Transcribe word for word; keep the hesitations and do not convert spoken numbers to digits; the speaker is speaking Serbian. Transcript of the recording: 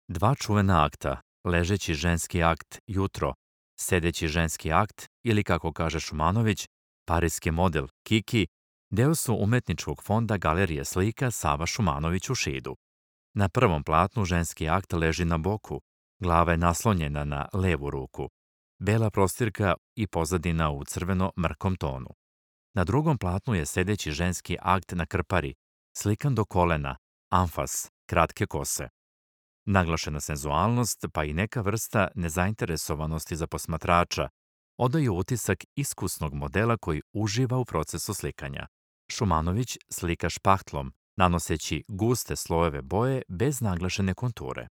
Dva čuvena akta, ležeći ženski akt jutro, sedeći ženski akt ili, kako kaže Šumanović, parijski model Kiki, deo su umetničkog fonda Galerije slika Sava Šumanović u Šidu. Na prvom platnu ženski akt leži na boku, glava je naslonjena na levu ruku, bela prostirka i pozadina u crveno-mrkom tonu. Na drugom platnu je sedeći ženski akt na krpari, slikan do kolena, amfas, kratke kose. Naglašena senzualnost, pa i neka vrsta nezainteresovanosti za posmatrača, odaju utisak iskusnog modela koji uživa u procesu slikanja. Šumanović slika špahtlom, nanoseći guste slojeve boje bez naglašene konture.